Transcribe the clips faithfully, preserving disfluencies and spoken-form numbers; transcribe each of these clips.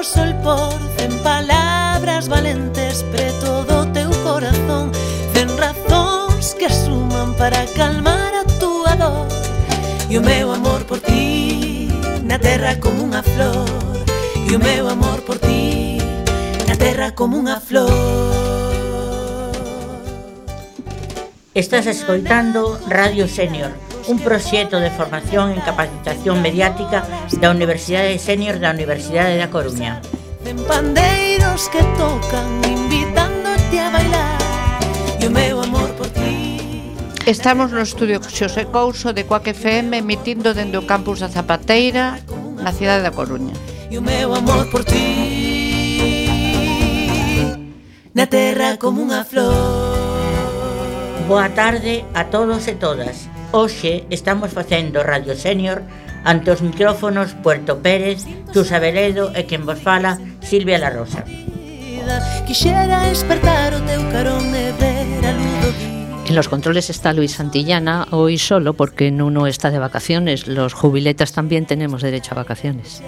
sol por cen palabras valentes preto do teu corazón, cen razóns que suman para calmar a túa dor. E o meu amor por ti na terra como unha flor, e o meu amor por ti na terra como unha flor. Estás escoitando Radio Sénior, un proxecto de formación en capacitación mediática da Universidade Sénior da Universidade da Coruña. En pandeiros que tocan invitándote a bailar, e o meu amor por ti. Estamos no estudio Xosé Couso de Coac F M emitindo dende o campus da Zapateira na cidade da Coruña. E o meu amor por ti na terra como unha flor. Boa tarde a todos e todas. Hoxe estamos facendo Radio Sénior ante os micrófonos Puerto Pérez, Xusa Veledo e quen vos fala, Silvia La Rosa. Quixera despertar o teu carón e ver a luz do día. En los controles está Luis Santillana, hoy solo porque Nuno está de vacaciones. Los jubiletas también tenemos derecho a vacaciones.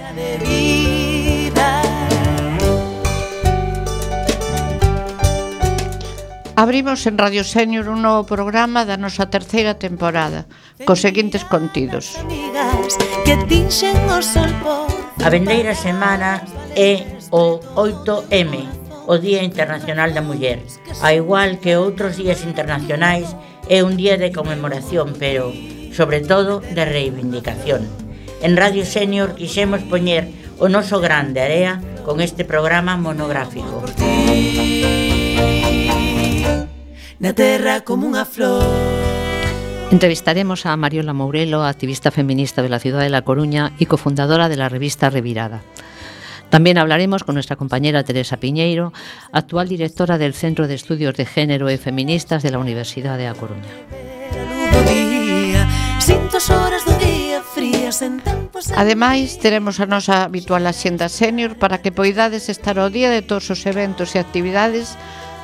Abrimos en Radio Sénior un novo programa da nosa terceira temporada, cos seguintes contidos. A vendeira semana é o oito eme, o Día Internacional da Muller. A igual que outros días internacionais, é un día de conmemoración, pero, sobre todo, de reivindicación. En Radio Sénior quixemos poñer o noso grande area con este programa monográfico. Na terra como unha flor. Entrevistaremos a Mariola Mourelo, activista feminista de la ciudad de La Coruña y cofundadora de la revista Revirada. También hablaremos con nuestra compañera Teresa Piñeiro, actual directora del Centro de Estudios de Género y Feministas de la Universidad de A Coruña. Ademais, teremos a nosa habitual axenda sénior para que poidades estar ao día de todos os eventos e actividades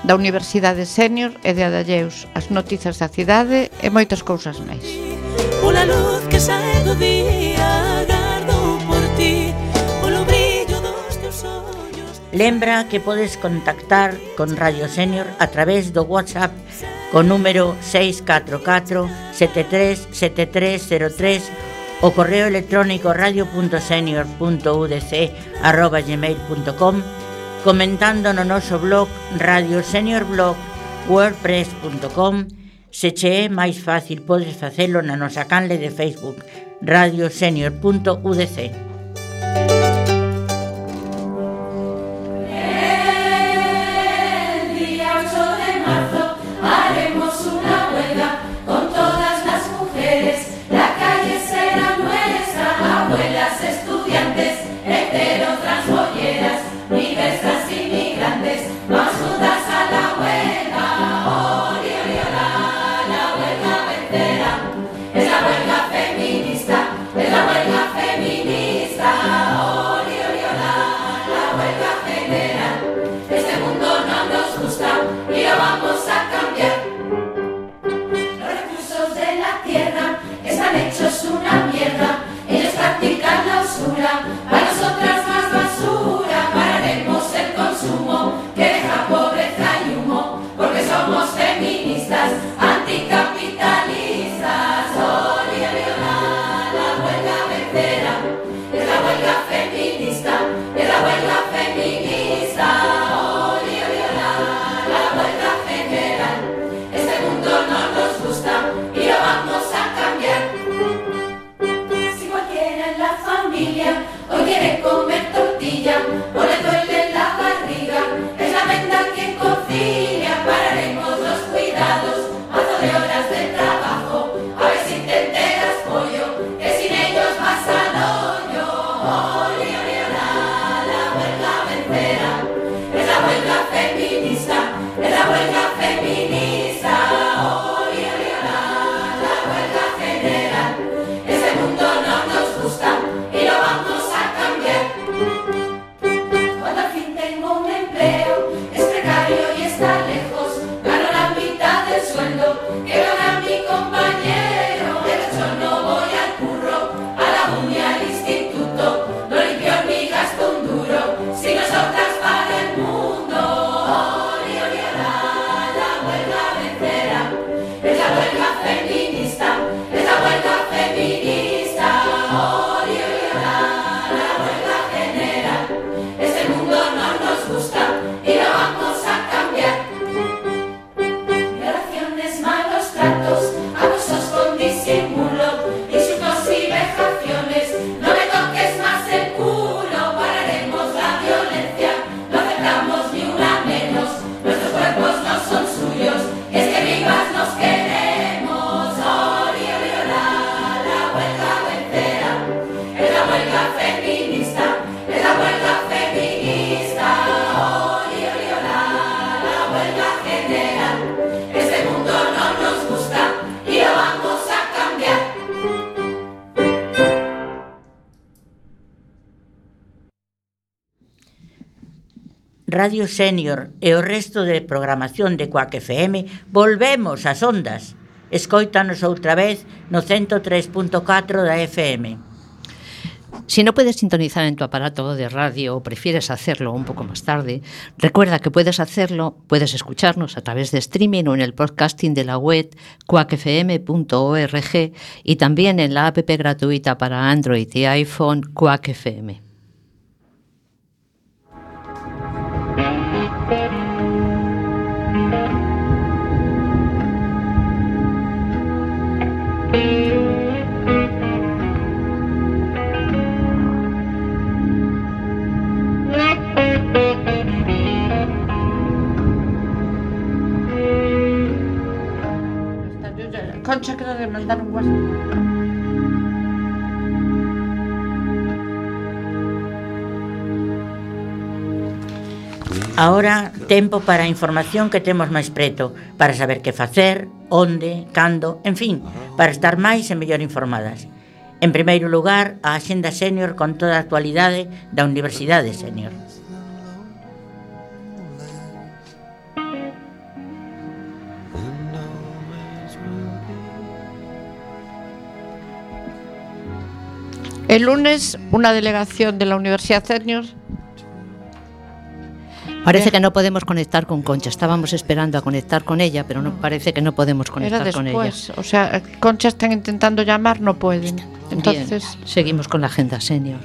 da Universidade Sénior e de Adalleus, as noticias da cidade e moitas cousas máis. Pola luz que sae do día, agardo por ti, polo brillo dos teus ollos. Lembra que podes contactar con Radio Sénior a través do WhatsApp con número seis catro catro sete tres sete tres cero tres, o correo electrónico radio punto senior punto u d c arroba gmail punto com, comentando no noso blog Radio Sénior Blog wordpress punto com. Se che é máis fácil, podes facelo na nosa canle de Facebook radio senior punto u d c. Feminista, es la huelga feminista. Radio Senior e o resto de programación de Cuac F M volvemos ás ondas. Escóitanos outra vez no ciento tres punto catro da F M. Si no puedes sintonizar en tu aparato de radio o prefieres hacerlo un poco más tarde, recuerda que puedes hacerlo, puedes escucharnos a través de streaming o en el podcasting de la web cuac f m punto org y también en la app gratuita para Android y iPhone Cuac F M. Concha, creo que mandar un WhatsApp. Ahora, tempo para a información que temos máis preto, para saber que facer, onde, cando, en fin, para estar máis e mellor informadas. En primeiro lugar, a Axenda Senior con toda a actualidade da Universidade Senior. El lunes, una delegación de la Universidad Senior. Parece que no podemos conectar con Concha. Estábamos esperando a conectar con ella, pero no parece que no podemos conectar Era con ella. después, o sea, Concha están intentando llamar, no pueden. Entonces, bien, seguimos con la Agenda Senior.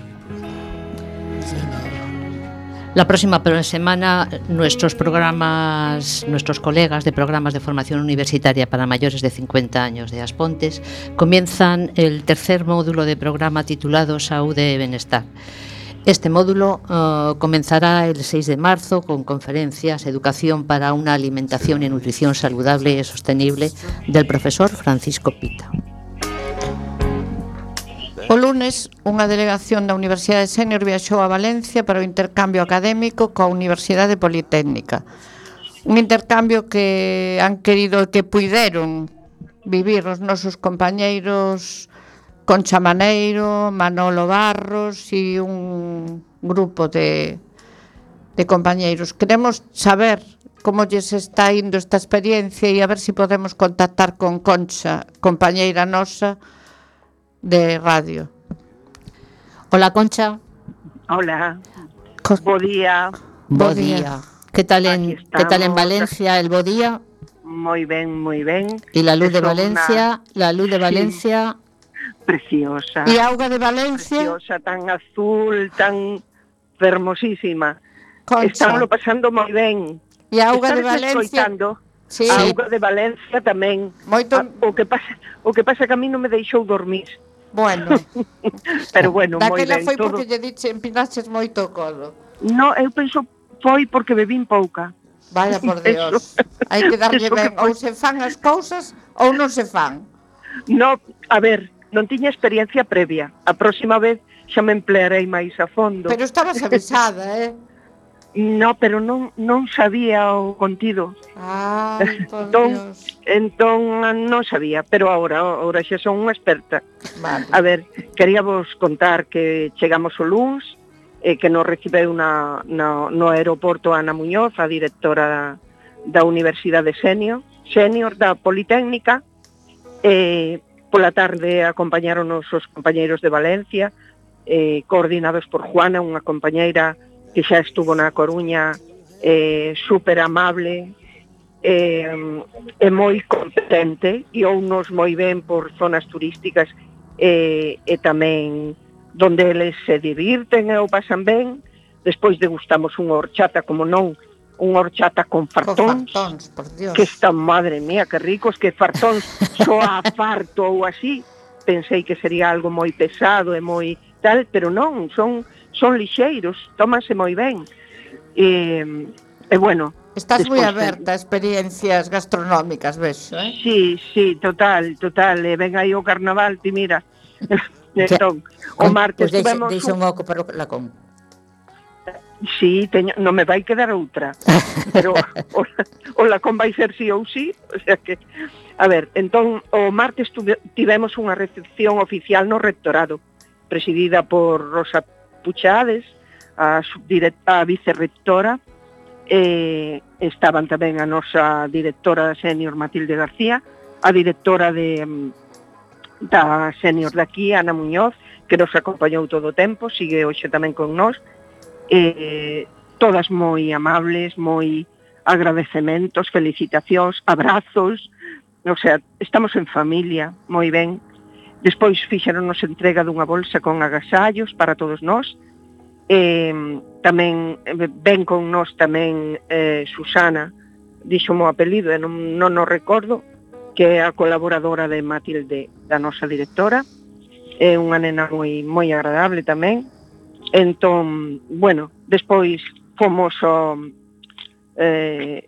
La próxima semana nuestros programas, nuestros colegas de programas de formación universitaria para mayores de cincuenta años de Aspontes comienzan el tercer módulo de programa titulado Saúde e Benestar. Este módulo uh, comenzará el seis de marzo con conferencias Educación para una alimentación y nutrición saludable y sostenible del profesor Francisco Pita. O lunes, unha delegación da Universidade Senior viaxou a Valencia para o intercambio académico coa Universidade Politécnica. Un intercambio que han querido que puideron vivir os nosos compañeiros Concha Maneiro, Manolo Barros e un grupo de, de compañeiros. Queremos saber como lles está indo esta experiencia e a ver se si podemos contactar con Concha, compañeira nosa de radio. Hola, Concha. Hola. Co- Bo día. Bo Bo día. día. ¿Qué tal en qué tal en Valencia el bo día? Moi ben, moi ben. Y la luz de Son Valencia, la luz de Valencia. Una... Preciosa. E a auga de Valencia, Preciosa, tan azul, tan hermosísima. Concha. Estamos pasando moi ben. E a auga de Estades Valencia, escoitando? sí, A auga de Valencia tamén. moito, A, o que pasa, o que pasa que a mí non me deixou dormir. bueno. Pero bueno, moi Daquela ben. foi Todo... porque lle diche empinaches moito o codo. No, eu penso foi porque bebín pouca. Vaya por Dios. Hai que darlle eso que ben, ou se fan as cousas ou non se fan. No, a ver, non tiña experiencia previa. A próxima vez xa me emplearei máis a fondo. Pero estabas avisada, eh? No, pero non non sabía o contido. Ai, por Entón, Dios. entón non sabía, pero agora, agora xa son unha experta. Vale. A ver, queríamos contar que chegamos o luns, eh, que nos recibeu na, na, no aeroporto Ana Muñoz, a directora da, da Universidade Senior, Senior da Politécnica. Eh, pola tarde acompañaronos os compañeiros de Valencia, eh, coordinados por Juana, unha compañeira que xa estuvo na Coruña, eh, super amable, eh, e moi competente, e ounos moi ben por zonas turísticas, eh, e tamén donde eles se divirten e o pasan ben. Despois degustamos unha horchata, como non, unha horchata con fartóns, Co fartóns, por Dios. que están, madre mía, que ricos, que fartóns só a farto ou así. Pensei que sería algo moi pesado e moi tal, pero non, son son lixeiros, tómanse moi ben. E, e bueno, Estás moi despois, aberta a experiencias gastronómicas, vexo, eh? Sí, sí, total, total, e ven aí o carnaval, ti mira. Entón, o martes Pois deixa, tuvemos deixa un... un oco para o lacón. Sí, teño, non me vai quedar outra. Pero o, o lacón vai ser sí ou sí, o sea que... A ver, entón, o martes tuve, tivemos unha recepción oficial no rectorado, presidida por Rosa Puchades, a, subdirect, a vicerrectora, eh, estaban tamén a nosa directora senior Matilde García, a directora de, da senior de aquí, Ana Muñoz, que nos acompañou todo o tempo, sigue hoxe tamén con nós, eh, todas moi amables, moi agradecementos, felicitacións, abrazos, o sea, estamos en familia, moi ben. Despois fixeronnos entrega dunha bolsa con agasallos para todos nós. Eh, tamén ven con nós tamén eh, Susana, dixo o apelido e non, non o recordo, que é a colaboradora de Matilde, da nosa directora. É unha nena moi moi agradable tamén. Entón, bueno, despois fomos ao, eh,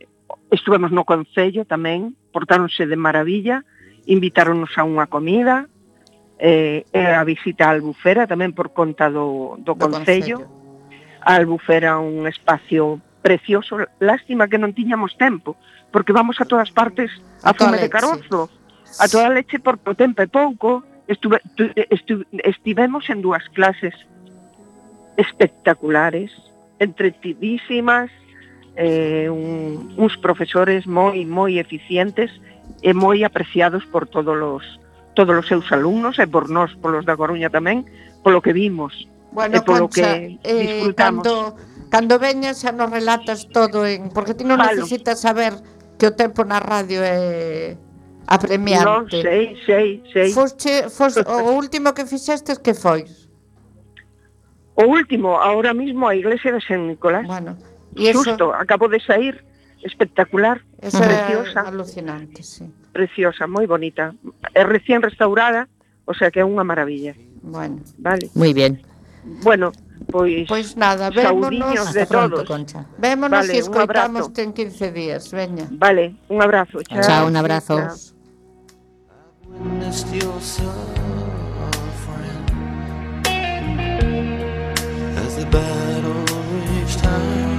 estuvemos no Concello tamén, portáronse de maravilla, invitáronnos a unha comida, eh, e a visita á Albufera tamén por conta do, do, do Concello. A Albufera un espacio precioso, lástima que non tiñamos tempo, porque vamos a todas partes a, a fume de carozo, a toda leche por o tempo e pouco. Estuve, estu, estivemos en dúas clases espectaculares, entretidísimas, eh, un, uns profesores moi moi eficientes e moi apreciados por todos os todos os seus alumnos e por nós, polos da Coruña tamén, polo que vimos. Bueno, e polo Concha, que eh, disfrutamos. Cando, cando veñas xa nos relatas todo en, porque ti non Falo. necesitas saber que o tempo na radio é apremiante. Non, sei, sei, sei. Fosche, fos, o último que fixestes que foi? O último, ahora mismo a iglesia de San Nicolás. Bueno, e eso, Xusto, acabo de sair, espectacular, eso preciosa, é alucinante, sí. preciosa, moi bonita. É recién restaurada, o sea que é unha maravilla. Bueno, Vale. Muy bien. Bueno, pois pois nada, saudiños vémonos, de Hasta pronto, todos. Concha. vémonos Vale, e un escoitamos abrazo. en quince días, veña. Vale, un abrazo. Chao, Chao, un abrazo. Chao. Witnessed your suffering as the battle reached high.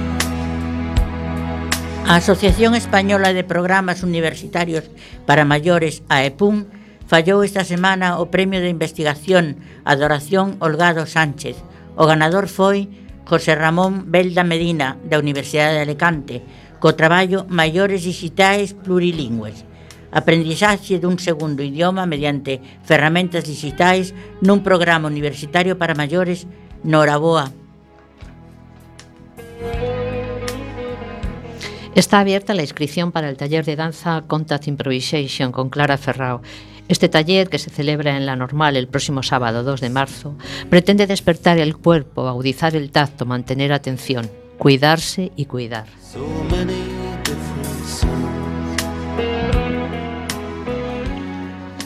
A Asociación Española de Programas Universitarios para Maiores, a EPUM, fallou esta semana o Premio de Investigación Adoración Holgado Sánchez. O ganador foi José Ramón Belda Medina, da Universidade de Alicante, co traballo Maiores Digitais Plurilingües. Aprendizaxe dun segundo idioma mediante ferramentas digitais nun programa universitario para maiores no Noraboa. Está abierta la inscripción para el taller de danza Contact Improvisation con Clara Ferrao. Este taller, que se celebra en La Normal el próximo sábado dos de marzo, pretende despertar el cuerpo, agudizar el tacto, mantener atención, cuidarse y cuidar. So many different songs.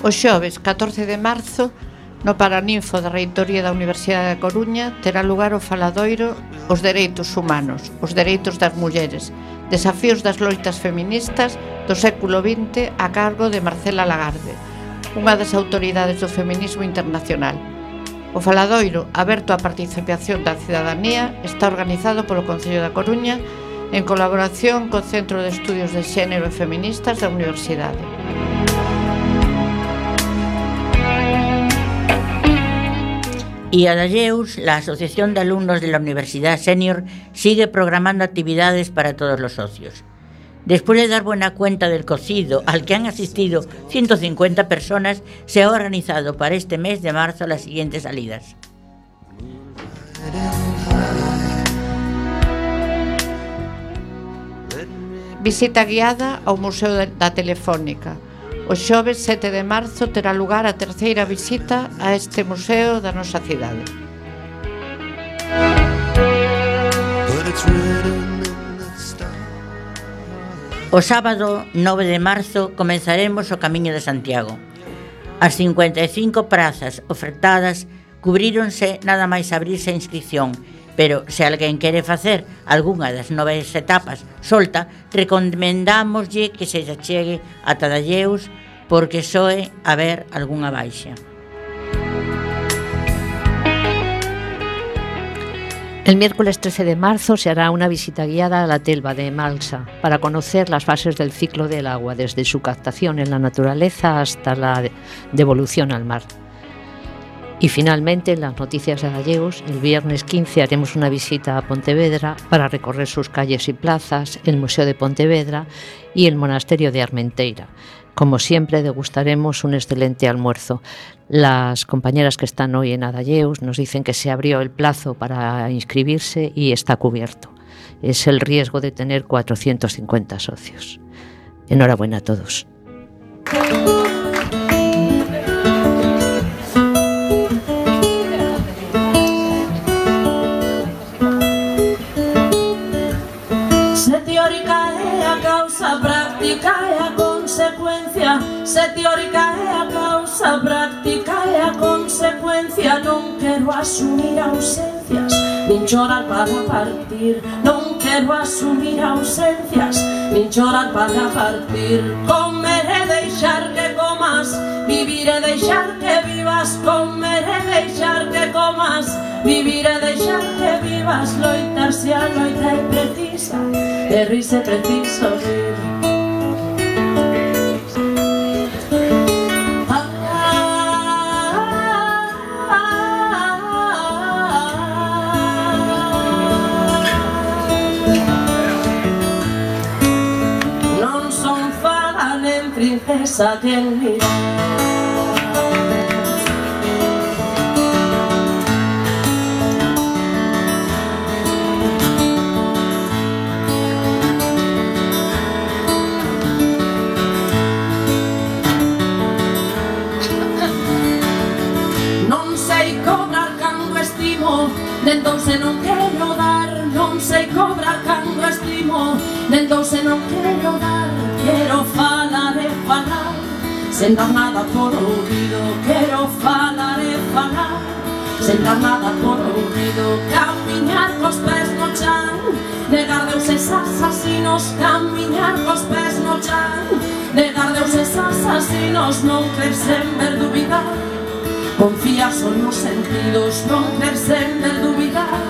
O xoves catorce de marzo, no Paraninfo da Reitoría da Universidade da Coruña, terá lugar o faladoiro Os dereitos humanos, os dereitos das mulleres, desafíos das loitas feministas do século vinte a cargo de Marcela Lagarde, unha das autoridades do feminismo internacional. O faladoiro, aberto á participación da cidadanía, está organizado polo Concello da Coruña en colaboración co Centro de Estudios de Xénero e Feministas da Universidade. Y a Dalleus, la Asociación de Alumnos de la Universidad Senior, sigue programando actividades para todos los socios. Después de dar buena cuenta del cocido, al que han asistido ciento cincuenta personas, se ha organizado para este mes de marzo las siguientes salidas. Visita guiada ao Museo da Telefónica. O xoves sete de marzo terá lugar a terceira visita a este museo da nosa cidade. O sábado nove de marzo comenzaremos o Camiño de Santiago. As cincuenta e cinco prazas ofertadas cubríronse nada máis abrirse a inscripción, pero se alguén quere facer algunha das nove etapas solta, recomendámoslle que se achegue a Dalleus, porque soe haber algunha baixa. El miércoles trece de marzo se hará una visita guiada a la Telva de Malsa para conocer las fases del ciclo del agua, desde su captación en la naturaleza hasta la devolución al mar. Y finalmente, en las noticias de gallegos, el viernes quince haremos una visita a Pontevedra para recorrer sus calles y plazas, el Museo de Pontevedra y el Monasterio de Armenteira. Como siempre, degustaremos un excelente almuerzo. Las compañeras que están hoy en Adalleus nos dicen que se abrió el plazo para inscribirse y está cubierto. Es el riesgo de tener cuatrocientos cincuenta socios. Enhorabuena a todos. Se teórica é a causa, práctica é a consecuencia. Se teórica é a causa, práctica é a consecuencia. Non quero asumir ausencias, nin chorar para partir. Non quero asumir ausencias, nin chorar para partir. Comer e deixar que comas, vivir e deixar que vivas. Comer e deixar que comas, vivir e deixar que vivas. Loitar se a loita é precisa, e rirse preciso rir. Non son fala nen princesa que mirar. Entón se non quero dar, non sei cobrar cando estimo. Entón se non quero dar, quero falar e falar, sen dar nada por ouvido. Quero falar e falar, sen dar nada por ouvido. Camiñar cos pés no chan, negar deuses asasinos. Camiñar cos pés no chan, negar deuses asasinos. Non crer sen ver dubidar, confiar son nos sentidos. Non crer sen ver dubidar.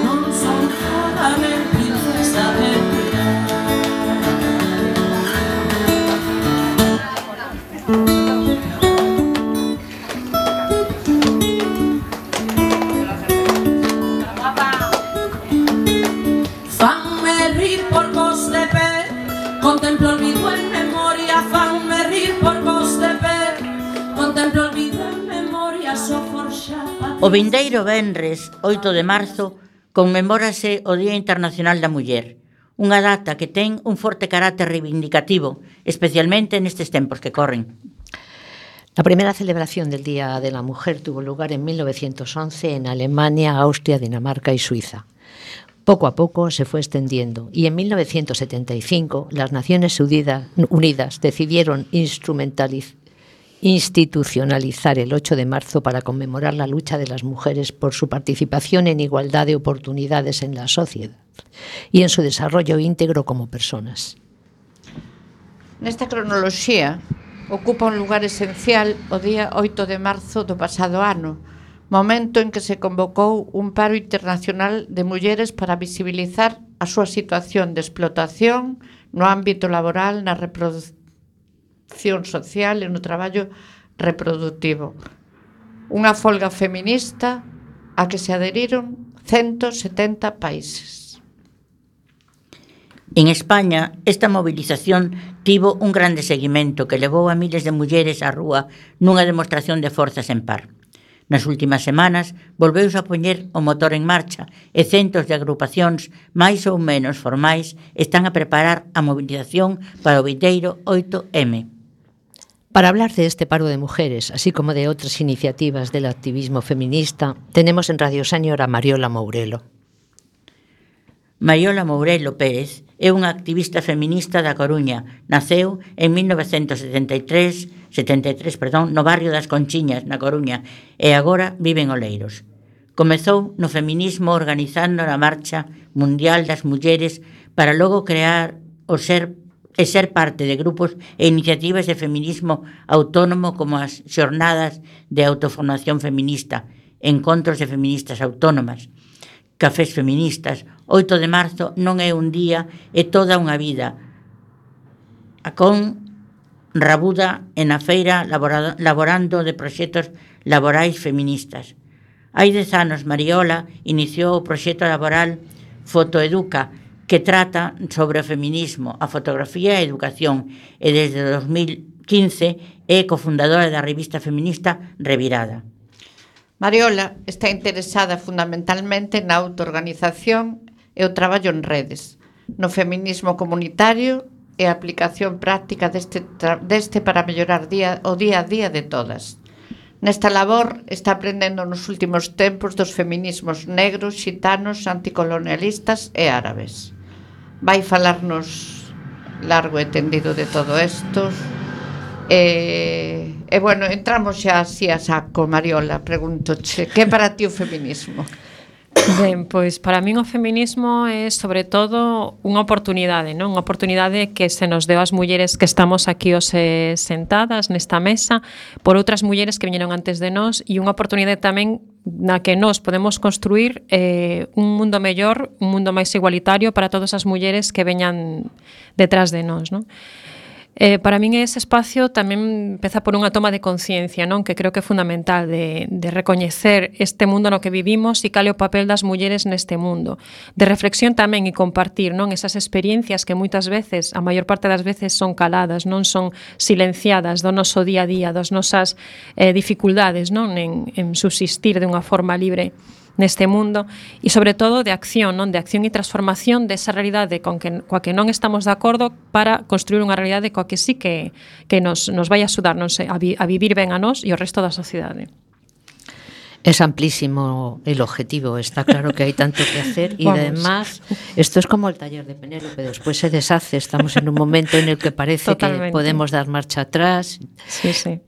Non son toda nen princesa de mirar. Contemplo olvido en memoria, fanme rir por vos de pé. Contemplo olvido en memoria, so forxada. O vindeiro venres, oito de marzo, conmemórase o Día Internacional da Muller, unha data que ten un forte carácter reivindicativo, especialmente nestes tempos que corren. La primera celebración del Día de la Mujer tuvo lugar en mil novecientos once en Alemania, Austria, Dinamarca y Suiza. Poco a poco se fue extendiendo y en mil novecientos setenta y cinco las Naciones Unidas decidieron institucionalizar el ocho de marzo para conmemorar la lucha de las mujeres por su participación en igualdad de oportunidades en la sociedad y en su desarrollo íntegro como personas. Nesta cronoloxía ocupa un lugar esencial o día oito de marzo do pasado ano, momento en que se convocou un paro internacional de mulleres para visibilizar a súa situación de explotación no ámbito laboral, na reproducción social e no traballo reproductivo. Unha folga feminista a que se adheriron ciento setenta países. En España, esta movilización tivo un grande seguimento que levou a miles de mulleres á rúa nunha demostración de forzas en par. Nas últimas semanas, volveuse a poñer o motor en marcha e centos de agrupacións máis ou menos formais están a preparar a movilización para o vindeiro oito eme. Para hablar de este paro de mujeres, así como de otras iniciativas del activismo feminista, tenemos en Radio Sénior a Mariola Mourelo. Mariola Mourelo Pérez é unha activista feminista da Coruña. Naceu en mil novecentos setenta e tres, setenta e tres, perdón, no barrio das Conchiñas, na Coruña, e agora vive en Oleiros. Comezou no feminismo organizando a Marcha Mundial das Mulleres para logo crear o ser e ser parte de grupos e iniciativas de feminismo autónomo como as xornadas de autoformación feminista, encontros de feministas autónomas, cafés feministas. oito de marzo non é un día, é toda unha vida. A con rabuda e na feira laborado, laborando de proxectos laborais feministas. Hai dez anos, Mariola iniciou o proxecto laboral Fotoeduca, que trata sobre o feminismo, a fotografía e a educación, e desde dos mil quince é cofundadora da revista feminista Revirada. Mariola está interesada fundamentalmente na autoorganización e o traballo en redes, no feminismo comunitario e a aplicación práctica deste, deste para mellorar día, o día a día de todas. Nesta labor está aprendendo nos últimos tempos dos feminismos negros, xitanos, anticolonialistas e árabes. Vai falarnos largo e tendido de todo isto. E, e bueno, entramos xa así a saco, Mariola, pregúntoche, que é para ti o feminismo? Ben, pois para min o feminismo é sobre todo unha oportunidade, non? Unha oportunidade que se nos deu ás mulleres que estamos aquí hoxe sentadas nesta mesa por outras mulleres que viñeron antes de nós, e unha oportunidade tamén na que nós podemos construir eh, un mundo mellor, un mundo máis igualitario para todas as mulleres que veñan detrás de nós, non? Eh, para min ese espacio tamén empeza por unha toma de conciencia, non? Que creo que é fundamental de, de recoñecer este mundo no que vivimos e cal é o papel das mulleres neste mundo, de reflexión tamén e compartir, non? Esas experiencias que moitas veces, a maior parte das veces son caladas, non son silenciadas do noso día a día, das nosas eh, dificultades, non? En, en subsistir de unha forma libre neste mundo, e sobre todo de acción, non? De acción e transformación desa realidade con que, coa que non estamos de acordo, para construir unha realidade coa que sí que, que nos, nos vai a axudar, non sei, a, vi, a vivir ben a nós e o resto da sociedade. Es amplísimo el objetivo, está claro que hay tanto que hacer y además esto es como el taller de Penélope, después se deshace, estamos en un momento en el que parece Totalmente. que podemos dar marcha atrás. Sí, sí.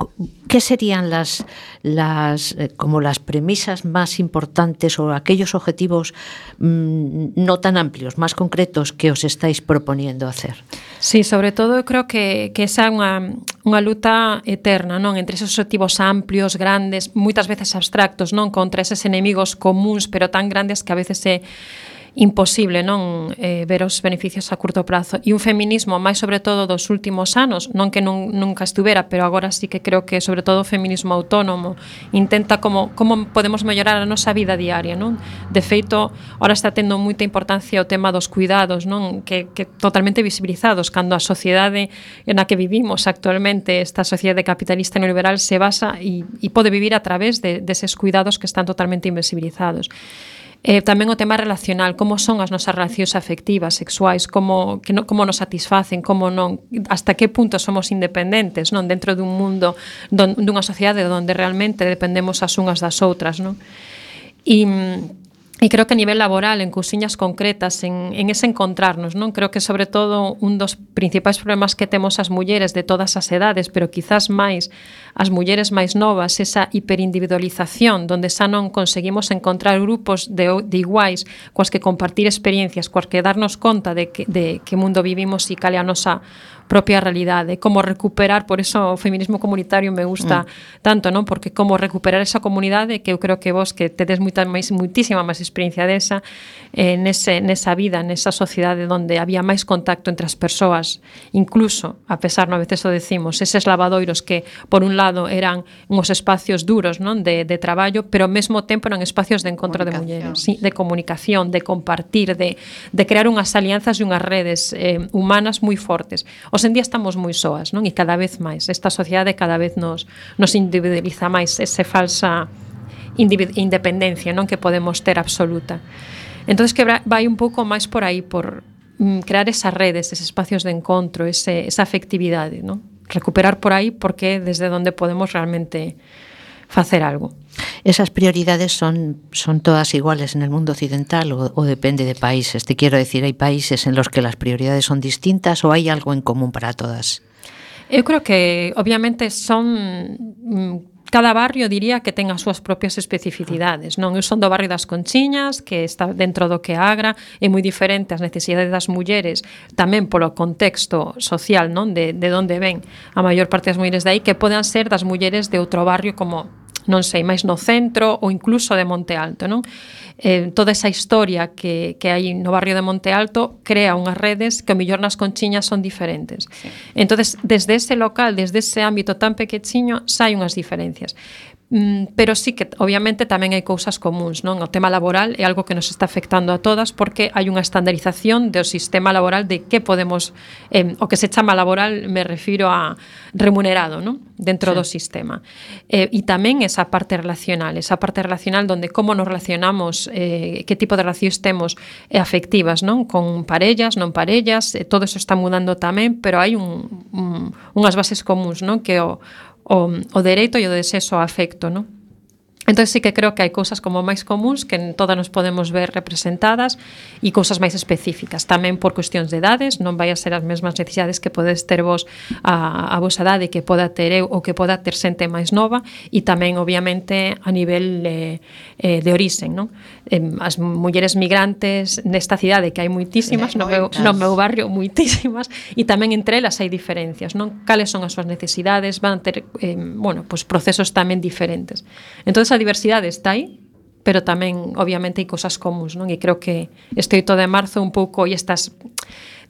¿Qué serían las, las eh, como las premisas más importantes o aquellos objetivos mmm, no tan amplios, más concretos que os estáis proponiendo hacer? Sí, sobre todo eu creo que, que esa é unha, unha luta eterna, non? Entre esos objetivos amplios, grandes, moitas veces abstractos, non? Contra eses enemigos comuns, pero tan grandes que a veces é imposible, non? Eh, ver os beneficios a curto prazo. E un feminismo, máis sobre todo dos últimos anos, non que nun, nunca estuvera, pero agora sí que creo que sobre todo o feminismo autónomo intenta como, como podemos mellorar a nosa vida diaria, non? De feito, ahora está tendo moita importancia o tema dos cuidados, non? Que, que totalmente visibilizados, cando a sociedade na que vivimos actualmente, esta sociedade capitalista neoliberal, se basa e, e pode vivir a través de, deses cuidados que están totalmente invisibilizados. Eh, tamén o tema relacional, como son as nosas relacións afectivas, sexuais, como, que no, como nos satisfacen, como non, hasta que punto somos independentes, non, dentro dun mundo, don, dunha sociedade onde realmente dependemos as unhas das outras, non? E E creo que a nivel laboral, en cousiñas concretas, en, en ese encontrarnos, non? Creo que sobre todo un dos principais problemas que temos as mulleres de todas as edades, pero quizás máis as mulleres máis novas, esa hiperindividualización, donde xa non conseguimos encontrar grupos de, de iguais coas que compartir experiencias, coas que darnos conta de que, de que mundo vivimos e cal é a nosa propia realidade, como recuperar, por eso o feminismo comunitario me gusta mm. tanto, non? Porque como recuperar esa comunidade que eu creo que vos que tedes moita máis, muitísima máis experiencia desa eh, nese, nesa vida, nesa sociedade onde había máis contacto entre as persoas, incluso, a pesar, no, a veces o decimos, eses lavadoiros que por un lado eran uns espacios duros, non? De, de traballo, pero ao mesmo tempo eran espacios de encontro de mulleres, sí, de comunicación, de compartir, de, de crear unhas alianzas e unhas redes eh, humanas moi fortes. Hoxe en día estamos moi soas, non? E cada vez máis, esta sociedade cada vez nos, nos individualiza máis, ese falsa independencia, non? Que podemos ter absoluta. Entón, que vai un pouco máis por aí, por mm, crear esas redes, eses espacios de encontro, ese, esa afectividade, non? Recuperar por aí porque desde onde podemos realmente facer algo. ¿Esas prioridades son, son todas iguales en el mundo occidental o, o depende de países? Te quiero decir, ¿hay países en los que las prioridades son distintas o hay algo en común para todas? Eu creo que, obviamente, son... Cada barrio diría que ten as súas propias especificidades, non? Eu son do barrio das Conchiñas, que está dentro do que Agra, é moi diferente as necesidades das mulleres, tamén polo contexto social, non? De, de onde ven a maior parte das mulleres de aí, que poden ser das mulleres de outro barrio como non sei, máis no centro ou incluso de Monte Alto, non? Eh, toda esa historia que, que hai no barrio de Monte Alto crea unhas redes que o mellor nas Conchiñas son diferentes. Sí. Entonces, desde ese local, desde ese ámbito tan pequechiño, sai unhas diferencias. Mm, pero sí que obviamente tamén hai cousas comuns, non? O tema laboral é algo que nos está afectando a todas porque hai unha estandarización do sistema laboral de que podemos, eh, o que se chama laboral, me refiro a remunerado, non? Dentro sí. do sistema. Eh, e tamén esa parte relacional, esa parte relacional donde como nos relacionamos, eh, que tipo de relacións temos eh, afectivas, non? Con parellas, non parellas, eh, todo eso está mudando tamén, pero hai un, un, unhas bases comuns, non? Que o O, o dereito e o desexo ao afecto, non? Entón sí que creo que hai cousas como máis comuns que en todas nos podemos ver representadas e cousas máis específicas, tamén por cuestións de edades, non vai a ser as mesmas necesidades que podes ter vos a, a vosa edade que poda ter eu ou que poda ter xente máis nova e tamén obviamente a nivel eh, eh, de orixen, non? Eh, as mulleres migrantes nesta cidade que hai moitísimas, no meu, no meu barrio moitísimas e tamén entre elas hai diferencias, non? Cales son as súas necesidades, van ter eh, bueno, pues procesos tamén diferentes. Entón a diversidade está aí, pero tamén obviamente hai cosas comuns, non? E creo que este oito de marzo un pouco e estas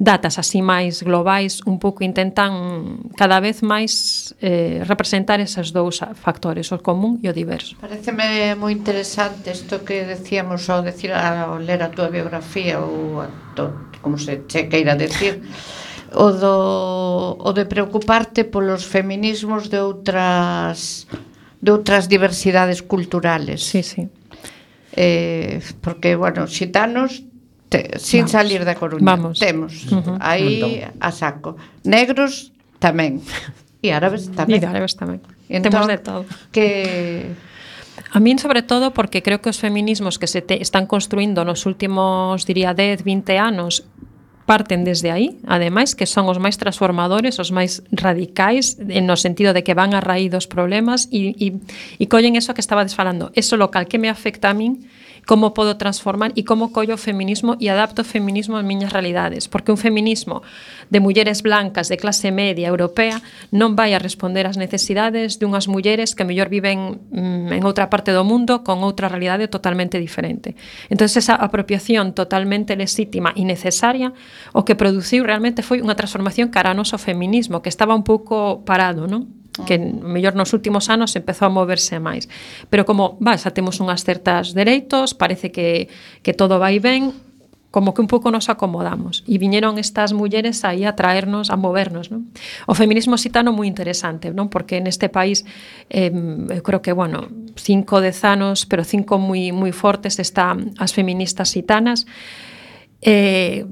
datas así máis globais un pouco intentan cada vez máis eh, representar esos dous factores, o común e o diverso. Pareceme moi interesante isto que decíamos ao decir ao ler a túa biografía ou a to, como se che queira decir, o do o de preocuparte polos feminismos de outras de outras diversidades culturales. Sí, sí. Eh, porque, bueno, xitanos, te, sin Vamos. salir da Coruña, Vamos. temos. Uh-huh. Aí a saco. Negros tamén. E árabes tamén. E árabes tamén. Entón, temos de todo. Que... A min, sobre todo, porque creo que os feminismos que se te están construindo nos últimos, diría, dez, vinte anos parten desde aí, ademais, que son os máis transformadores, os máis radicais, no sentido de que van a raíz dos problemas e, e, e collen eso que estabades falando, eso local que me afecta a min, como podo transformar e como collo o feminismo e adapto o feminismo ás miñas realidades, porque un feminismo de mulleres blancas de clase media europea non vai a responder ás necesidades de unhas mulleres que mellor viven mm, en outra parte do mundo con outra realidade totalmente diferente. Entón, esa apropiación totalmente legítima e necesaria o que produciu realmente foi unha transformación cara ao noso feminismo, que estaba un pouco parado, non? Que mellor nos últimos anos empezou a moverse máis. Pero como, va, xa temos unhas certas dereitos, parece que, que todo vai ben, como que un pouco nos acomodamos. E viñeron estas mulleres aí a traernos, a movernos, non? O feminismo xitano moi interesante, non? Porque neste país, eh, eu creo que, bueno, cinco, dez anos, pero cinco moi, moi fortes, están as feministas xitanas, eh,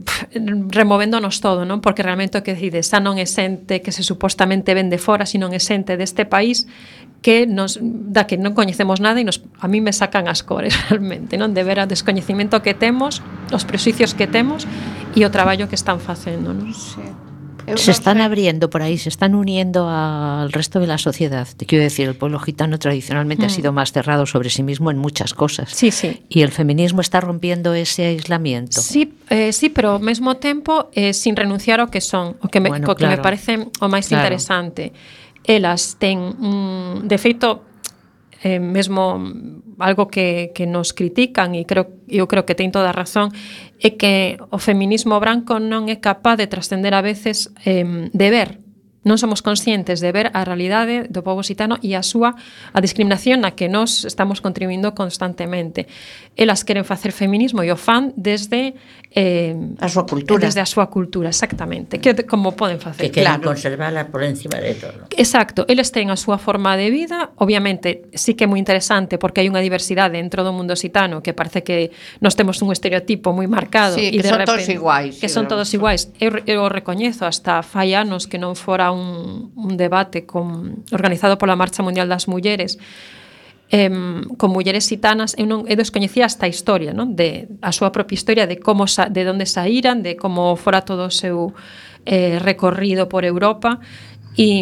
removéndonos todo, non? Porque realmente o que decide, xa non é xente que se supostamente ven de fora, sino é xente deste país que nos da que non coñecemos nada e nos, a mí me sacan as cores realmente, non? De ver o descoñecemento que temos, os prexuicios que temos e o traballo que están facendo, non? Sí. Se están abriendo por ahí, se están uniendo al resto de la sociedad. Te quiero decir, el pueblo gitano tradicionalmente mm. ha sido más cerrado sobre sí mismo en muchas cosas. Sí, sí. Y el feminismo está rompiendo ese aislamiento. Sí, eh, sí, pero ao mesmo tempo eh, sin renunciar ao que son, o que me, bueno, o que claro. me parece o máis claro. interesante. Elas ten, mm, de feito, eh, mesmo algo que, que nos critican e creo, eu creo que ten toda a razón, é que o feminismo branco non é capaz de trascender a veces eh, de ver, non somos conscientes de ver a realidade do pobo xitano e a súa a discriminación na que nós estamos contribuindo constantemente. Elas queren facer feminismo e o fan desde eh, a súa cultura. Desde a súa cultura, exactamente. Que como poden facer? Que queren claro. conservala por encima de todo. Exacto, eles ten a súa forma de vida, obviamente sí que é moi interesante porque hai unha diversidade dentro do mundo xitano que parece que nós temos un estereotipo moi marcado sí, e que de son repente, todos iguais. Que son todos iguais. Eu, eu recoñezo hasta fai anos que non fora Un, un debate con, organizado pola Marcha Mundial das Mulleres eh, con mulleres xitanas. Eu, non, eu descoñecía esta historia, non? De, a súa propia historia de como sa, de onde saíran, de como fora todo o seu eh, recorrido por Europa e,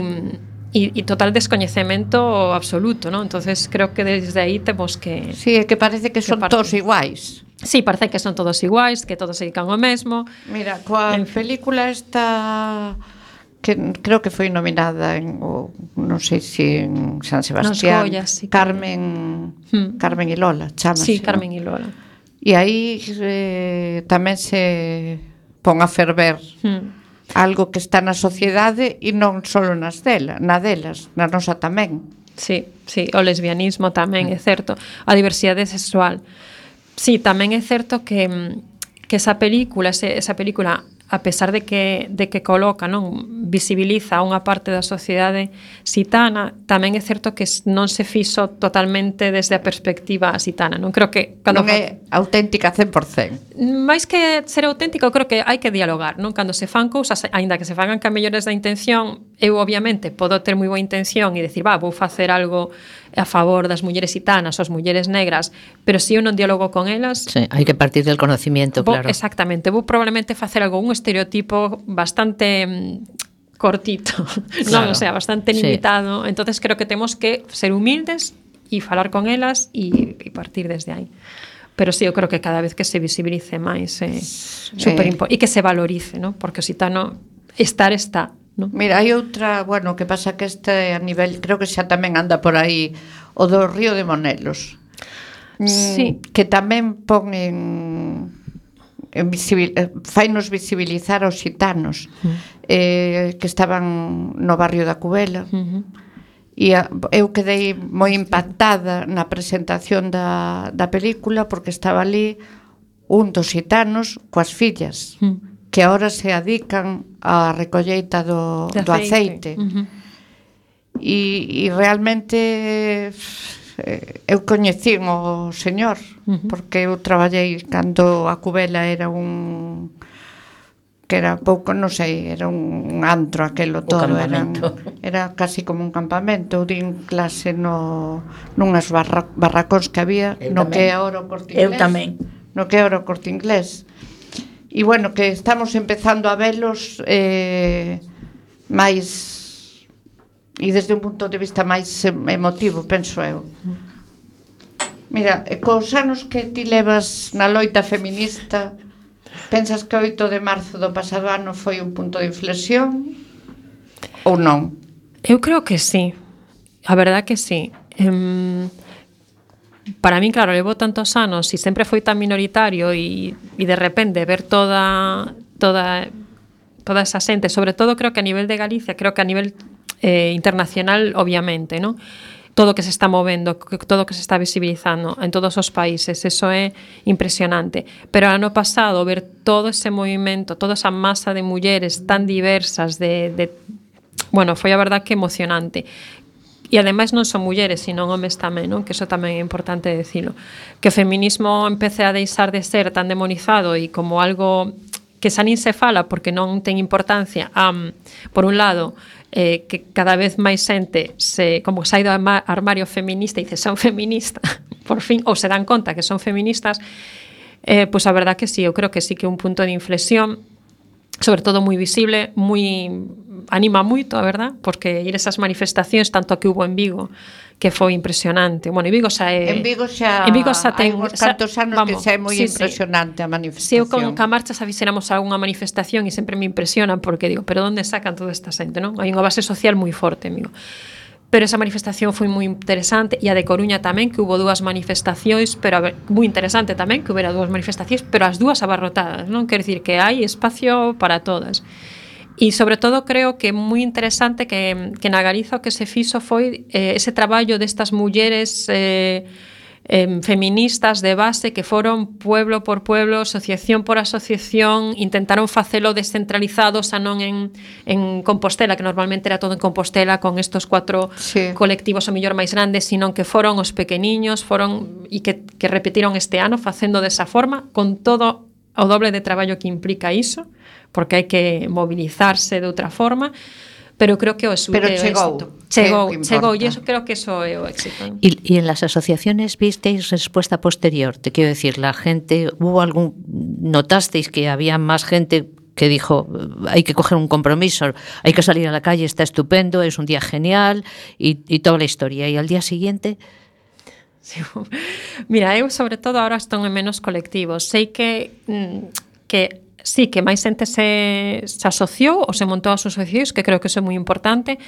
e, e total descoñecemento absoluto, non? Entonces creo que desde aí temos que... Sí, é que parece que, que son parte... todos iguais. Sí, parece que son todos iguais, que todos se dedican ao mesmo. Mira, coa en... película esta... que creo que foi nominada en o, non sei se en San Sebastián, Goyas, sí, Carmen Hmm. Carmen y Lola, chámase, Sí, ¿no? Carmen y Lola. E aí eh, tamén se pon a ferver Hmm. algo que está na sociedade e non só nas dela, na delas, na nosa tamén. Sí, sí, o lesbianismo tamén, é certo. A diversidade sexual. Sí, tamén é certo que, que esa película, ese, esa película, a pesar de que, de que coloca, non, visibiliza unha parte da sociedade xitana, tamén é certo que non se fixo totalmente desde a perspectiva xitana. Non creo que Non cando é auténtica cen por cen. máis que ser auténtico, creo que hai que dialogar, non? Cando se fan cousas, aínda que se fagan ca mellores da intención, eu obviamente podo ter moi boa intención e decir, va, vou facer algo a favor das mulleres xitanas, as mulleres negras, pero se eu non dialogo con elas, Sí, hai que partir del conocimiento, vou, claro. exactamente, vou probablemente facer algo, un estereotipo bastante mm, cortito, Claro. non, o sea, bastante Sí. limitado. Entonces creo que temos que ser humildes e falar con elas e, e partir desde aí. Pero sí, eu creo que cada vez que se visibilice máis é eh, super impo- e que se valorice, ¿no? Porque o xitano estar está, ¿no? Mira, hai outra, bueno, que pasa que este a nivel, creo que xa tamén anda por aí o do Río de Monelos. Mm, Sí. Que tamén pon en, en visibil, eh, fainos visibilizar aos xitanos eh, que estaban no barrio da Cubela. Uh-huh. E a, eu quedei moi impactada na presentación da, da película porque estaba ali un dos xitanos coas fillas Uh-huh. que agora se adican á recolleita do, De do aceite. Uh-huh. E, e realmente eh, eu coñecín o señor Ujú. porque eu traballei cando a Cubela era un que era pouco, non sei, era un antro aquelo todo, era, campamento. era casi como un campamento. Eu din clase no nunhas barra, barracóns que había Eu no tamén. que é ahora o Corte Eu Inglés. tamén. No que é ahora o Corte Inglés. E bueno, que estamos empezando a velos eh, máis e desde un punto de vista máis em- emotivo, penso eu. Mira, e cos anos que ti levas na loita feminista, pensas que o oito de marzo do pasado ano foi un punto de inflexión ou non? Eu creo que sí. A verdad que sí. Em, para min, claro, levo tantos anos e sempre foi tan minoritario e, e de repente ver toda toda toda esa xente, sobre todo creo que a nivel de Galicia, creo que a nivel eh, internacional, obviamente, ¿no? Todo o que se está movendo, todo o que se está visibilizando en todos os países, eso é impresionante. Pero ano pasado, ver todo ese movimento, toda esa masa de mulleres tan diversas, de, de bueno, foi a verdad que emocionante. E ademais non son mulleres, sino homes tamén, non? Que eso tamén é importante decirlo. Que o feminismo empece a deixar de ser tan demonizado e como algo que xa nin se fala porque non ten importancia. Um, por un lado, eh, que cada vez máis xente se, como se ha ido ao armario feminista e dice son feminista, por fin, ou se dan conta que son feministas, eh, pois a verdad que sí, eu creo que sí que é un punto de inflexión, sobre todo moi visible, moi anima moito, a verdad, porque ir esas manifestacións, tanto a que hubo en Vigo, que foi impresionante. Bueno, en Vigo xa é... En Vigo xa, en Vigo xa ten, hai uns cantos anos que vamos, xa é moi sí, impresionante sí. a manifestación. Se eu con ca marcha xa fixéramos algunha manifestación e sempre me impresionan porque digo, pero onde sacan toda esta xente, non? Hai unha base social moi forte, amigo. Pero esa manifestación foi moi interesante e a de Coruña tamén, que hubo dúas manifestacións, pero a ver, moi interesante tamén que houbera dúas manifestacións, pero as dúas abarrotadas, non? Quer dicir que hai espacio para todas. E sobre todo creo que é moi interesante que, que na Galiza o que se fixo foi eh, ese traballo destas mulleres eh, eh, feministas de base que foron pueblo por pueblo, asociación por asociación, intentaron facelo descentralizado, xa non en, en Compostela, que normalmente era todo en Compostela con estos cuatro Sí. colectivos o mellor máis grandes, sino que foron os pequeniños, foron e que, que repetiron este ano facendo desa forma, con todo o doble de traballo que implica iso, porque hai que mobilizarse de outra forma, pero creo que o éxito. Pero chegou, Chegou, que é o que chegou, importa. e eso creo que eso é o éxito. Y, y en las asociaciones visteis respuesta posterior, te quiero decir, la gente, hubo algún, notasteis que había más gente que dijo, hay que coger un compromiso, hay que salir a la calle, está estupendo, es un día genial, y, y toda la historia, y al día siguiente... Sí. Mira, eu sobre todo ahora estou en menos colectivos. Sei que mm, que sí que máis xente se, se asociou ou se montou as asociacións, que creo que iso é moi importante.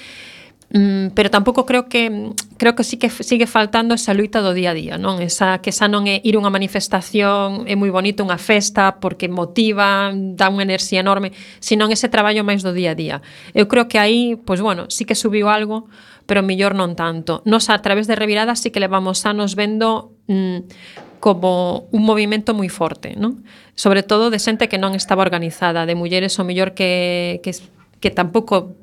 Mm, pero tampouco creo que creo que sí que sigue faltando esa luita do día a día, non? Esa que esa non é ir a unha manifestación, é moi bonito unha festa porque motiva, dá unha enerxía enorme, senón ese traballo máis do día a día. Eu creo que aí, pois bueno, sí que subiu algo, pero mellor non tanto. Nos a través de Revirada sí que levamos anos vendo mm, como un movimento moi forte, non? Sobre todo de xente que non estaba organizada, de mulleres o mellor que que que tampouco,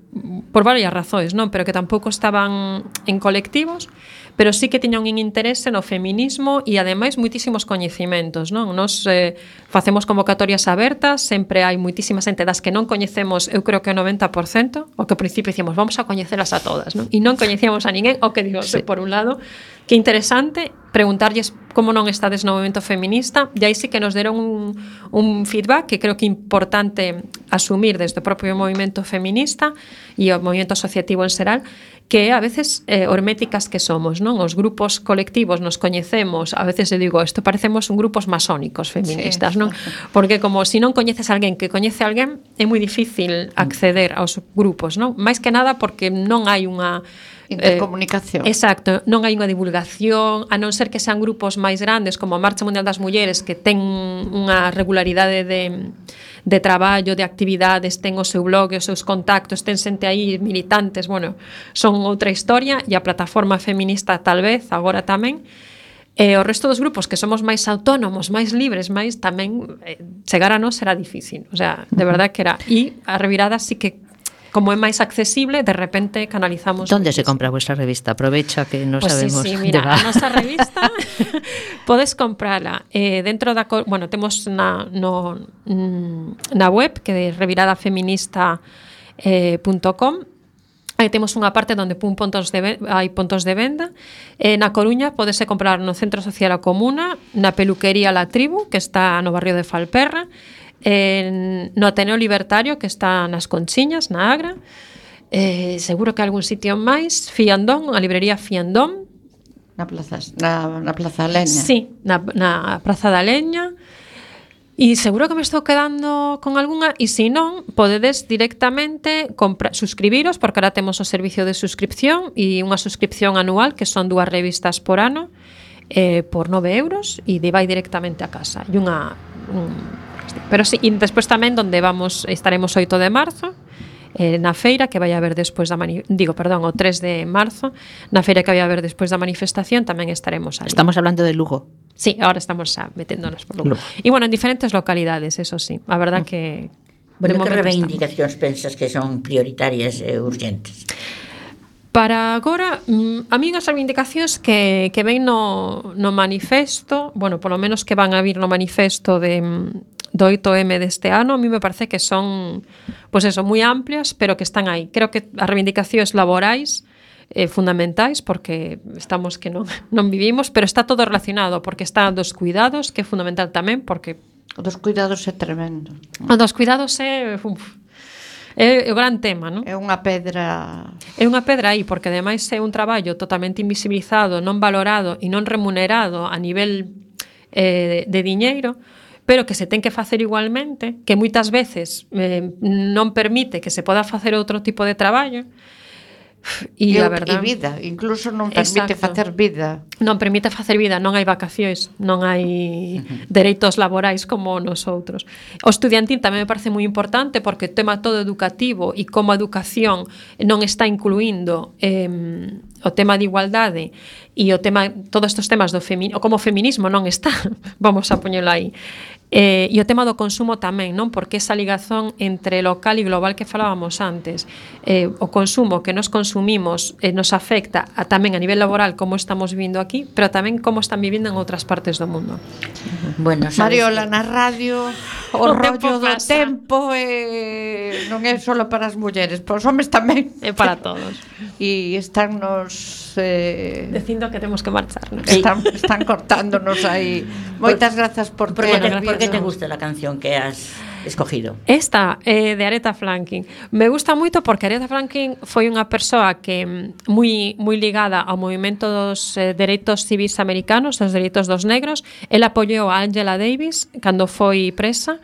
por varias razóns, non, pero que tampouco estaban en colectivos, pero sí que tiñan un interese no feminismo e ademais moitísimos coñecimentos, non? Nos eh, facemos convocatorias abertas, sempre hai moitísima xente das que non coñecemos, eu creo que o noventa por cento, o que ao principio dicimos, vamos a coñecelas a todas, non? E non coñecíamos a ninguén, o que digo, sí. Por un lado, que interesante preguntarlles como non estades no movimento feminista, e aí sí que nos deron un, un feedback que creo que é importante asumir desde o propio movimento feminista e o movimento asociativo en xeral, que a veces eh, herméticas que somos, non? Os grupos colectivos nos coñecemos, a veces eu digo, isto parecemos un grupos masónicos feministas, sí. Non? Porque como se si non coñeces a alguén que coñece a alguén, é moi difícil acceder aos grupos, non? Mais que nada porque non hai unha intercomunicación. Eh, exacto, non hai unha divulgación, a non ser que sean grupos máis grandes como a Marcha Mundial das Mulleres, que ten unha regularidade de de traballo, de actividades, ten o seu blog, os seus contactos, ten xente aí, militantes, bueno, son outra historia, e a plataforma feminista tal vez, agora tamén. E o resto dos grupos que somos máis autónomos, máis libres, máis tamén eh, chegar a nós será difícil, o sea, de verdad que era. E a Revirada sí que, como é máis accesible, de repente canalizamos. Onde se compra a vuestra revista? Aprovecha que non pues sabemos. Sí, sí, mira, a nosa revista podes comprala eh, dentro da, bueno, temos na no na web que é reviradafeminista punto com. Aí temos unha parte onde pun puntos de hai puntos de venda. Eh, na Coruña podese comprar no Centro Social A Comuna, na Peluquería La Tribu, que está no barrio de Falperra, en, no Ateneo Libertario, que está nas Conchiñas, na Agra, eh, seguro que algún sitio máis, Fiandón, a librería Fiandón, na Plaza, na, na Plaza da Leña. Sí, na, na Praza da Leña. E seguro que me estou quedando con algunha, e se non, podedes directamente compra, suscribiros, porque ahora temos o servicio de suscripción e unha suscripción anual, que son dúas revistas por ano, eh, por nove euros, e de vai directamente a casa. E unha... Un, pero sí, e despois tamén onde vamos, estaremos oito de marzo, eh, na feira que vai haber despois da mani- digo, perdón, o tres de marzo, na feira que vai haber despois da manifestación tamén estaremos ali. Estamos hablando de Lugo. Sí, ahora estamos xa meténdonos por Lugo. E bueno, en diferentes localidades, eso sí. A verdad que bueno, que reivindicacións pensas que son prioritarias e urgentes? Para agora, a mí as reivindicacións que, que ven no, no manifesto, bueno, polo menos que van a vir no manifesto de, do oito eme deste ano, a mí me parece que son, pois pues eso, moi amplias, pero que están aí. Creo que as reivindicacións laborais eh, fundamentais, porque estamos que non, non vivimos, pero está todo relacionado, porque está dos cuidados, que é fundamental tamén, porque... O dos cuidados é tremendo. O dos cuidados é... Uf, é o gran tema, non? É unha pedra... É unha pedra aí, porque ademais é un traballo totalmente invisibilizado, non valorado e non remunerado a nivel eh, de diñeiro, pero que se ten que facer igualmente, que moitas veces eh, non permite que se poda facer outro tipo de traballo. E, e, a verdade, e vida, incluso non permite exacto. facer vida. Non permite facer vida, non hai vacacións, non hai uh-huh. dereitos laborais como nos outros. O estudiantil tamén me parece moi importante porque o tema todo educativo e como a educación non está incluindo eh, o tema de igualdade e o tema, todos estes temas do feminismo, como o feminismo non está, vamos a poñelo aí. Eh, e o tema do consumo tamén, non? Porque esa ligazón entre local e global que falábamos antes, eh, o consumo que nos consumimos eh, nos afecta a, tamén a nivel laboral como estamos vivindo aquí, pero tamén como están vivindo en outras partes do mundo. Bueno, Mariola, na radio o, o rollo do tempo eh, non é só para as mulleres, para os homes tamén. É para todos. E están nos eh, dicindo que temos que marchar, ¿no? Están, están cortándonos aí. Moitas grazas por por que te, por que te gusta la canción que has escogido? Esta é eh, de Aretha Franklin. Me gusta moito porque Aretha Franklin foi unha persoa que moi moi ligada ao movimento dos eh, dereitos civis americanos, dos dereitos dos negros. Ela apoiou a Angela Davis cando foi presa.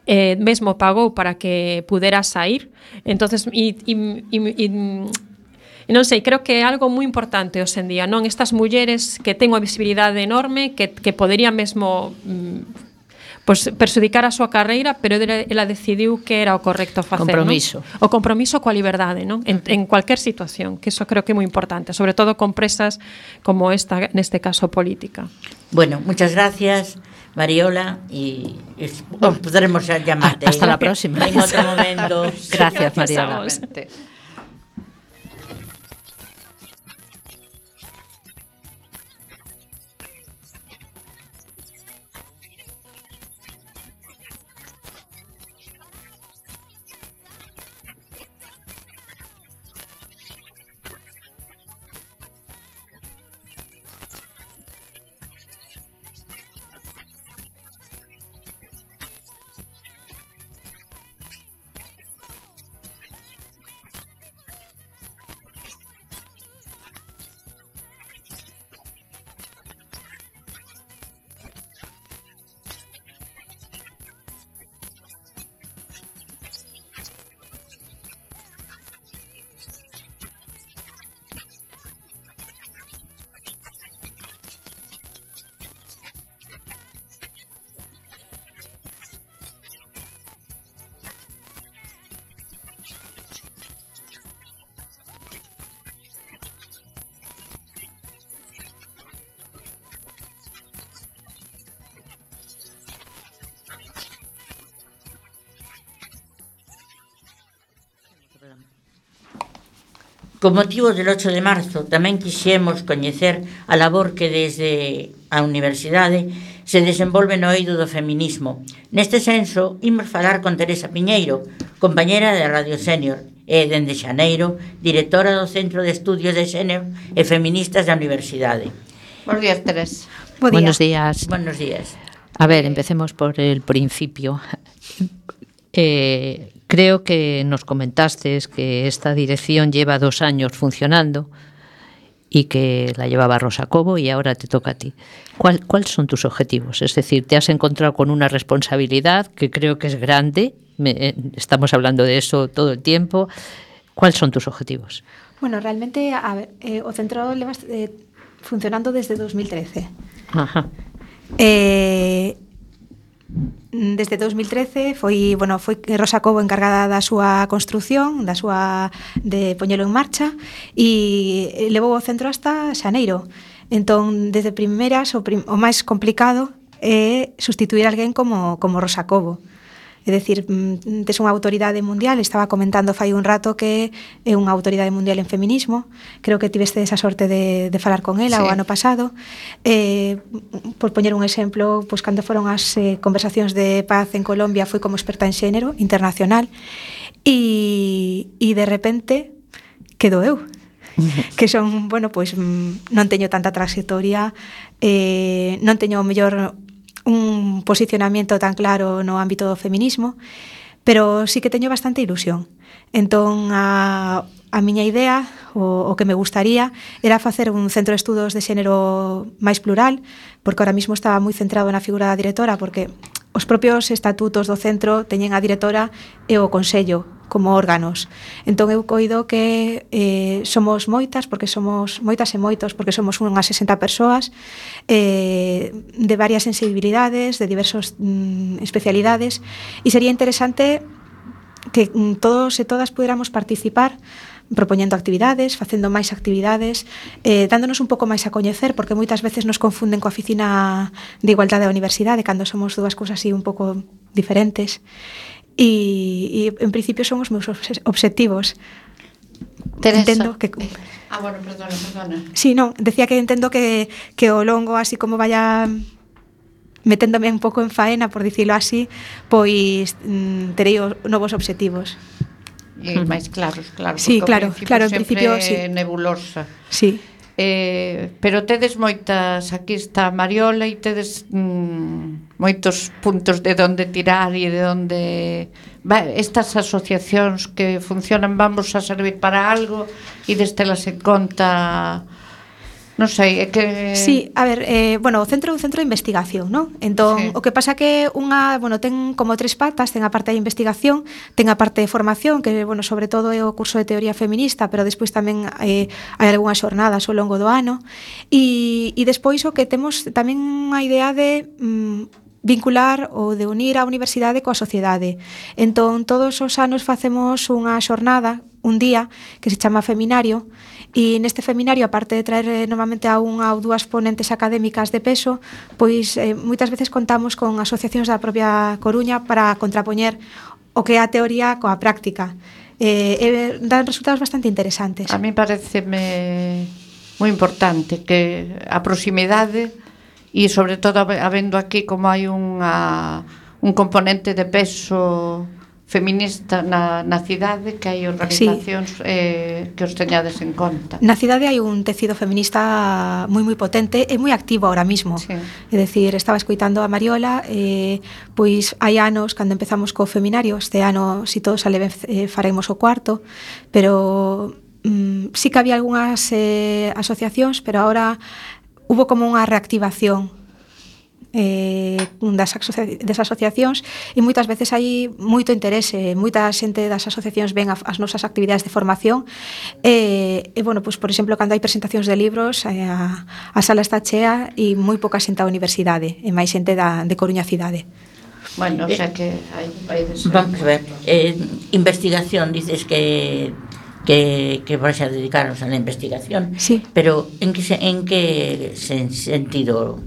eh, mesmo pagou para que pudera sair. Entonces, e, e, e, e, e non sei, creo que é algo moi importante hoxe en día, non? Estas mulleres que ten unha visibilidade enorme, que, que poderían mesmo mm, pues, perxudicar a súa carreira, pero ela decidiu que era o correcto facer, compromiso. ¿no? O compromiso coa liberdade, non? En, en cualquier situación, que eso creo que é moi importante, sobre todo con presas como esta, neste caso política. Bueno, muchas gracias, Mariola, y es, oh, podremos llamarte. Hasta la próxima. En otro momento. Gracias, Mariola. Con motivo del ocho de marzo tamén quixemos coñecer a labor que desde a Universidade se desenvolve no eido do feminismo. Neste senso, imos falar con Teresa Piñeiro, compañera de Radio Sénior e, dende xaneiro, directora do Centro de Estudios de Sénior e Feministas da Universidade. Buenos días, Teresa. Buenos días. Buenos días. A ver, empecemos por el principio. Eh, creo que nos comentaste que esta dirección lleva dos años funcionando y que la llevaba Rosa Cobo y ahora te toca a ti. ¿Cuál, ¿Cuáles son tus objetivos? Es decir, te has encontrado con una responsabilidad que creo que es grande, me, estamos hablando de eso todo el tiempo. ¿Cuáles son tus objetivos? Bueno, realmente, a ver, eh, o centro leva eh, funcionando desde dos mil trece. Ajá. Eh, Desde dos mil trece foi, bueno, foi Rosa Cobo encargada da súa construción, da súa de poñelo en marcha e levou o centro hasta xaneiro. Entón, desde primeras o, prim, o máis complicado é sustituir a alguén como como Rosa Cobo. É dicir, tes unha autoridade mundial, estaba comentando fai un rato que é unha autoridade mundial en feminismo, creo que tiveste esa sorte de, de falar con ela sí. O ano pasado. Eh, por poñer un exemplo, pois cando foron as eh, conversacións de paz en Colombia foi como experta en xénero internacional e, e de repente quedo eu. Que son, bueno, pois non teño tanta trayectoria, eh, non teño o mellor un posicionamiento tan claro no ámbito do feminismo, pero sí que teño bastante ilusión. Entón, a, a miña idea, o, o que me gustaría, era facer un centro de estudos de xénero máis plural, porque ahora mismo estaba moi centrado na figura da directora, porque os propios estatutos do centro teñen a directora e o consello como órganos. Entón eu coido que eh, somos moitas, porque somos moitas e moitos, porque somos unhas sesenta persoas eh, de varias sensibilidades, de diversas mm, especialidades, e sería interesante que mm, todos e todas puderamos participar propoñendo actividades, facendo máis actividades, eh, dándonos un pouco máis a coñecer, porque moitas veces nos confunden coa oficina de igualdade da universidade, cando somos dúas cousas así un pouco diferentes. E, e en principio son os meus obxectivos. Teresa. Entendo que... Ah, bueno, perdona, perdona. Sí, non, decía que entendo que, que o longo, así como vaya meténdome un pouco en faena, por dicilo así, pois mm, terei os novos obxectivos. E máis claros, claro. Sí, claro, claro, en principio sí. Nebulosa. Sí. Eh, pero tedes moitas, aquí está Mariola, e tedes mm, moitos puntos de onde tirar e de onde va, estas asociacións que funcionan vamos a servir para algo e destelas en conta, Non sei, é que... Sí, a ver, eh, bueno, o centro é un centro de investigación, non? Entón, sí. O que pasa que unha, bueno, ten como tres patas, ten a parte de investigación, ten a parte de formación, que, bueno, sobre todo é o curso de teoría feminista, pero despois tamén eh, hai algunhas xornadas ao longo do ano, e, e despois o que temos tamén unha idea de... Mm, vincular ou de unir a universidade coa sociedade. Entón, todos os anos facemos unha xornada, un día, que se chama Feminario, e neste Feminario, aparte de traer eh, normalmente a unha ou dúas ponentes académicas de peso, pois eh, moitas veces contamos con asociacións da propia Coruña para contrapoñer o que é a teoría coa práctica. Eh, eh, dan resultados bastante interesantes. A mí pareceme moi importante que a proximidade e sobre todo habendo aquí como hai unha, un componente de peso feminista na, na cidade, que hai organizacións sí. eh, que os teñades en conta. Na cidade hai un tecido feminista moi moi potente e moi activo ahora mismo. Sí. É dicir, estaba escoitando a Mariola, eh, pois hai anos cando empezamos co Feminario, este ano, si todo sale ben, eh, faremos o cuarto, pero mm, sí que había algunhas eh, asociacións, pero ahora hubo como unha reactivación eh, das, asocia das asociacións e moitas veces hai moito interese, moita xente das asociacións ven a, as nosas actividades de formación e, e bueno, pues, por exemplo, cando hai presentacións de libros eh, a, a sala está chea e moi pouca xente da universidade e máis xente da, de Coruña cidade. Bueno, o sea que hai, hai de ser. Vamos a ver, eh, investigación, dices que que, que vais a dedicaros a la investigación, sí. Pero en que, en que sentido?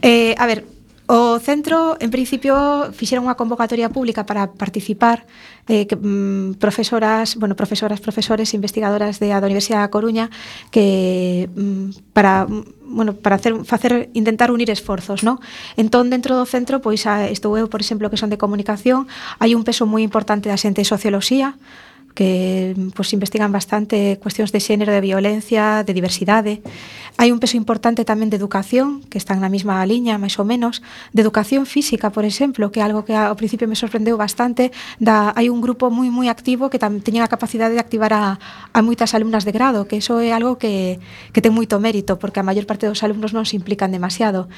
Eh, a ver, o centro, en principio, fixeron unha convocatoria pública para participar eh, que, mm, profesoras, bueno, profesoras, profesores, investigadoras de a da Universidade da Coruña que mm, para bueno, para hacer, facer, intentar unir esforzos, ¿no? Entón, dentro do centro, pois estou eu, por exemplo, que son de comunicación, hai un peso moi importante da xente de socioloxía, que pues, investigan bastante cuestións de xénero, de violencia, de diversidade. Hai un peso importante tamén de educación, que están na mesma liña, máis ou menos, de educación física, por exemplo, que é algo que ao principio me sorprendeu bastante. Da, hai un grupo moi moi activo que tam, teñen a capacidade de activar a, a moitas alumnas de grado, que iso é algo que, que ten moito mérito, porque a maior parte dos alumnos non se implican demasiado.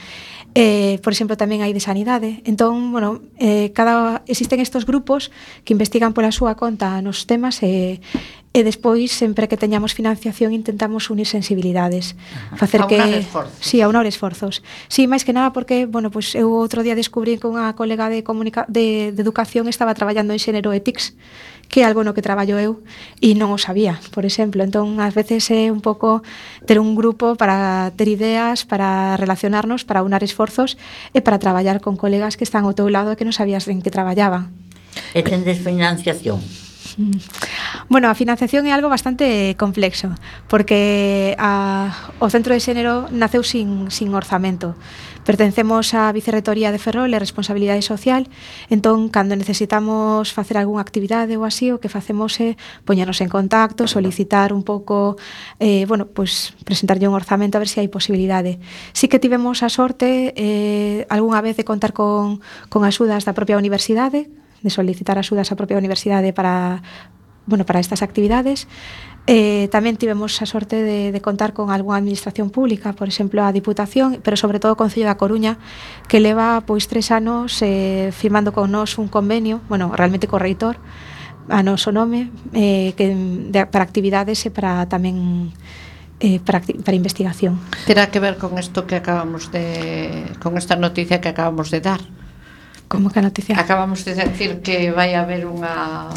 Eh, por exemplo, tamén hai de sanidade. Entón, bueno, eh, cada, existen estes grupos que investigan pola súa conta nos temas e, e despois, sempre que teñamos financiación, intentamos unir sensibilidades. Facer que, aunar esforzos. Sí, aunar esforzos. Sí, máis que nada porque, bueno, pues eu outro día descubrí que unha colega de, comunica de, de educación estaba traballando en xénero e T I C S, que é algo no que traballo eu e non o sabía, por exemplo. Entón, ás veces é un pouco ter un grupo para ter ideas, para relacionarnos, para unar esforzos e para traballar con colegas que están ao teu lado e que non sabías en que traballaban. E tendes financiación? Bueno, a financiación é algo bastante complexo, porque a, o Centro de Xénero naceu sin, sin orzamento. Pertencemos á Vicerrectoría de Ferrol e Responsabilidade Social, entón, cando necesitamos facer algunha actividade ou así, o que facemos é poñernos en contacto, solicitar un pouco, eh, bueno, pues, presentarlle un orzamento a ver se hai posibilidade. Sí que tivemos a sorte eh, algunha vez de contar con, con axudas da propia universidade, de solicitar axudas á propia universidade para, bueno, para estas actividades. Eh, tamén tivemos a sorte de, de contar con algunha administración pública, por exemplo, a Diputación, pero sobre todo o Concello da Coruña, que leva pois tres anos eh, firmando con nós un convenio, bueno, realmente co reitor, a noso nome, eh, que, de, para actividades e para tamén eh, para, para investigación. Terá que ver con isto que acabamos de, con esta noticia que acabamos de dar. Como que a noticia? Acabamos de decir que vai haber unha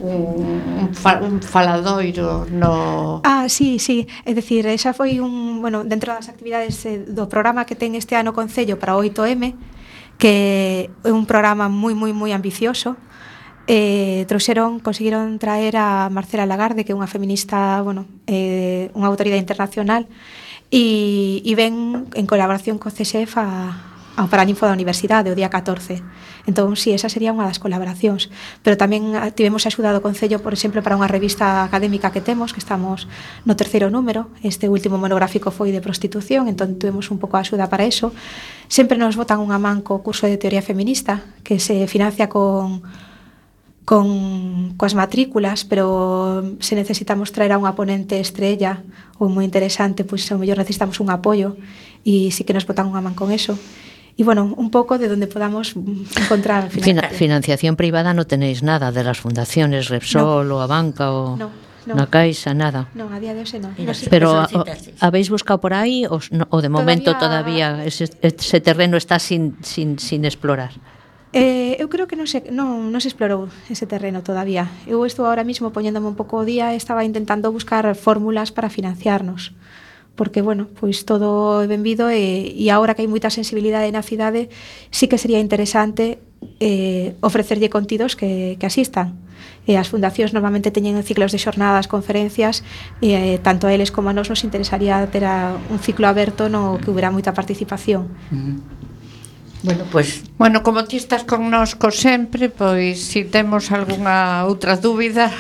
un, un, fa, un faladoiro no... Ah, sí, sí, é dicir, esa foi un, bueno, dentro das actividades eh, do programa que ten este ano o Concello para o oito eme, que é un programa moi, moi, moi ambicioso. Eh, trouxeron, conseguiron traer a Marcela Lagarde, que é unha feminista, bueno, eh, unha autoridade internacional, e, e ven en colaboración co C S F a ao Paraninfo da Universidade, o día catorce. Entón, si, sí, esa sería unha das colaboracións. Pero tamén tivemos axuda do Concello, por exemplo, para unha revista académica que temos, que estamos no terceiro número. Este último monográfico foi de prostitución, entón tuvemos un pouco de axuda para eso. Sempre nos botan unha man co curso de teoría feminista, que se financia con con coas matrículas, pero se necesitamos traer a unha ponente estrella ou moi interesante, pois ao mellor necesitamos un apoio e sí que nos botan unha man con eso. E bueno, un pouco de donde podamos encontrar financiación. Financiación privada no tenéis nada de las fundaciones Repsol no. ou a banca ou no, no. na Caixa, nada. No, a día de hoxe non. No sé. Pero a, habéis buscado por aí ou, no, ou de momento todavía, todavía ese, ese terreno está sin, sin, sin explorar? Eh, eu creo que non se, non, non se explorou ese terreno todavía. Eu estou ahora mismo poñéndome un pouco o día e estaba intentando buscar fórmulas para financiarnos. Porque, bueno, pois todo é benvido e, e agora que hai moita sensibilidade na cidade, sí que sería interesante eh, ofrecerlle contidos que, que asistan. E as fundacións normalmente teñen ciclos de xornadas, conferencias, e eh, tanto a eles como a nós nos interesaría ter a, un ciclo aberto no que hubiera moita participación. Uh-huh. Bueno, pois... Pues... Bueno, como ti estás connosco sempre, pois se si temos algunha outra dúbida,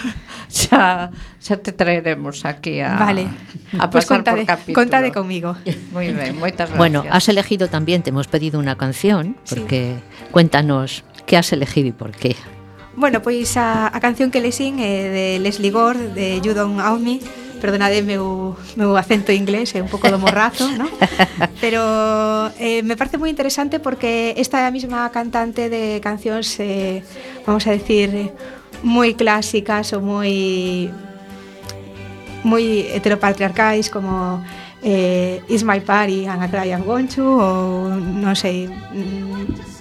xa, xa te traeremos aquí a, vale. a pasar pues contade, por capítulo. Contade comigo. Moi ben, moitas gracias. Bueno, has elegido también, te hemos pedido una canción, porque sí. Cuéntanos, ¿qué has elegido y por qué? Bueno, pois a, a canción que lesín é de Leslie Gore, de You Don't Own Me. Perdonade meu, meu acento inglés, é un pouco do morrazo, ¿no? Pero eh, me parece moi interesante porque esta é a mesma cantante de cancións, eh, vamos a decir, moi clásicas ou moi moi heteropatriarcais, como eh, It's My Party and I Cry I'm Going To, ou non sei... Mm,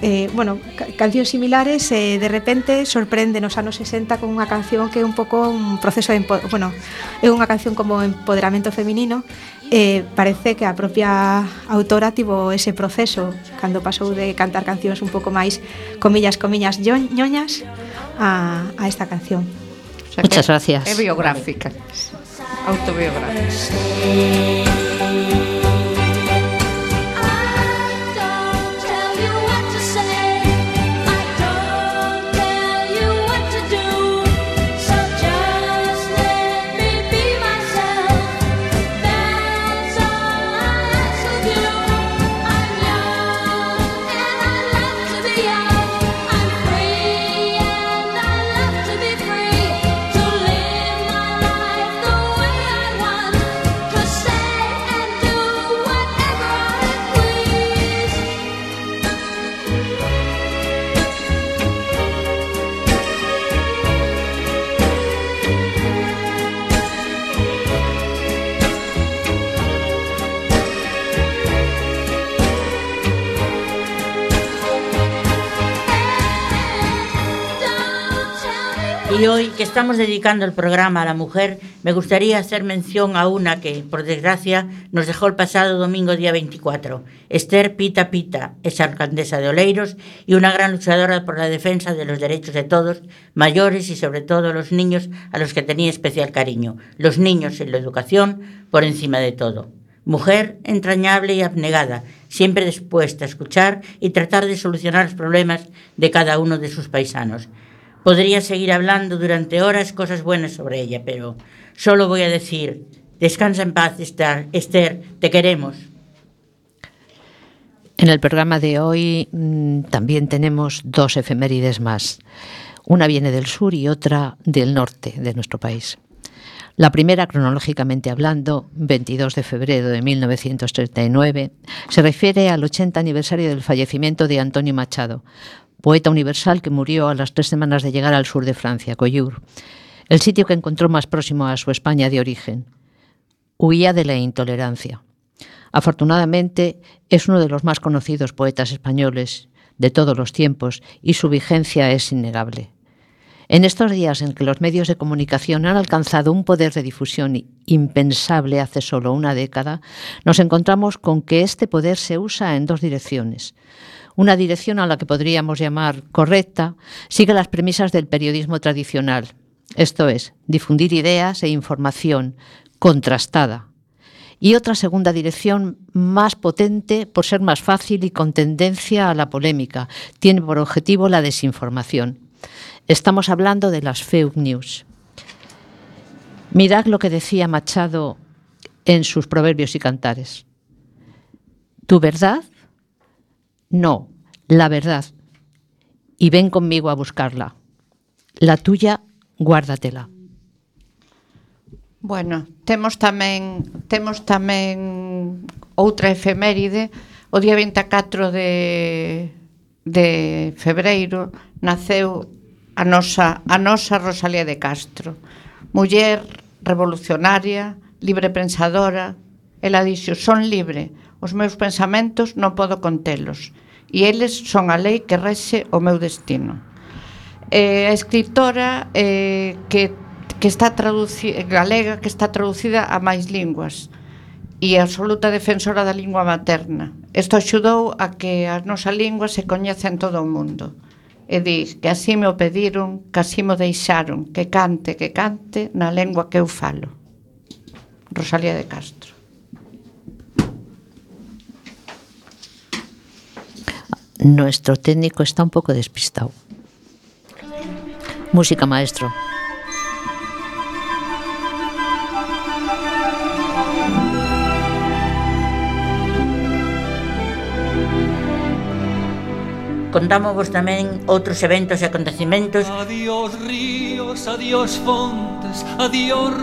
Eh, bueno, ca- cancións similares eh, de repente sorprende nos anos sesenta con unha canción que é un pouco un proceso de empo- bueno, é unha canción como empoderamento feminino. Eh, parece que a propia autora tivo ese proceso cando pasou de cantar cancións un pouco máis comillas, comillas, ñoñas a, a esta canción. O sea, muchas gracias. É biográfica, autobiográfica. Y hoy, que estamos dedicando el programa a la mujer, me gustaría hacer mención a una que, por desgracia, nos dejó el pasado domingo día veinticuatro. Esther Pita Pita es alcaldesa de Oleiros y una gran luchadora por la defensa de los derechos de todos, mayores y sobre todo los niños, a los que tenía especial cariño. Los niños en la educación por encima de todo. Mujer entrañable y abnegada, siempre dispuesta a escuchar y tratar de solucionar los problemas de cada uno de sus paisanos. Podría seguir hablando durante horas cosas buenas sobre ella, pero solo voy a decir, descansa en paz, Esther, Esther, te queremos. En el programa de hoy mmm, también tenemos dos efemérides más. Una viene del sur y otra del norte de nuestro país. La primera, cronológicamente hablando, veintidós de febrero de mil novecientos treinta y nueve, se refiere al ochenta aniversario del fallecimiento de Antonio Machado, poeta universal que murió a las tres semanas de llegar al sur de Francia, Collioure, el sitio que encontró más próximo a su España de origen. Huía de la intolerancia. Afortunadamente, es uno de los más conocidos poetas españoles de todos los tiempos y su vigencia es innegable. En estos días en que los medios de comunicación han alcanzado un poder de difusión impensable hace solo una década, nos encontramos con que este poder se usa en dos direcciones. Una dirección a la que podríamos llamar correcta sigue las premisas del periodismo tradicional, esto es, difundir ideas e información contrastada. Y otra segunda dirección más potente por ser más fácil y con tendencia a la polémica, tiene por objetivo la desinformación. Estamos hablando de las fake news. Mirad lo que decía Machado en sus proverbios y cantares. ¿Tu verdad? No, la verdad. Y ven conmigo a buscarla. La tuya, guárdatela. Bueno, temos tamén temos tamén outra efeméride. O día vinte e catro de de febreiro naceu a nosa a nosa Rosalía de Castro, muller revolucionaria, libre pensadora. Ela dixo: "Son libre, os meus pensamentos non podo contelos, e eles son a lei que rexe o meu destino." Eh, a escritora eh, que que está traducida, galega, que está traducida a máis linguas e absoluta defensora da lingua materna. Isto axudou a que a nosa lingua se coñece en todo o mundo. E di que así me o pediron, que así me deixaron, que cante, que cante na lengua que eu falo. Rosalía de Castro. Nuestro técnico está un pouco despistado. Música, maestro. Contámosvos tamén outros eventos e acontecimentos. Adiós ríos, adiós fontes, adiós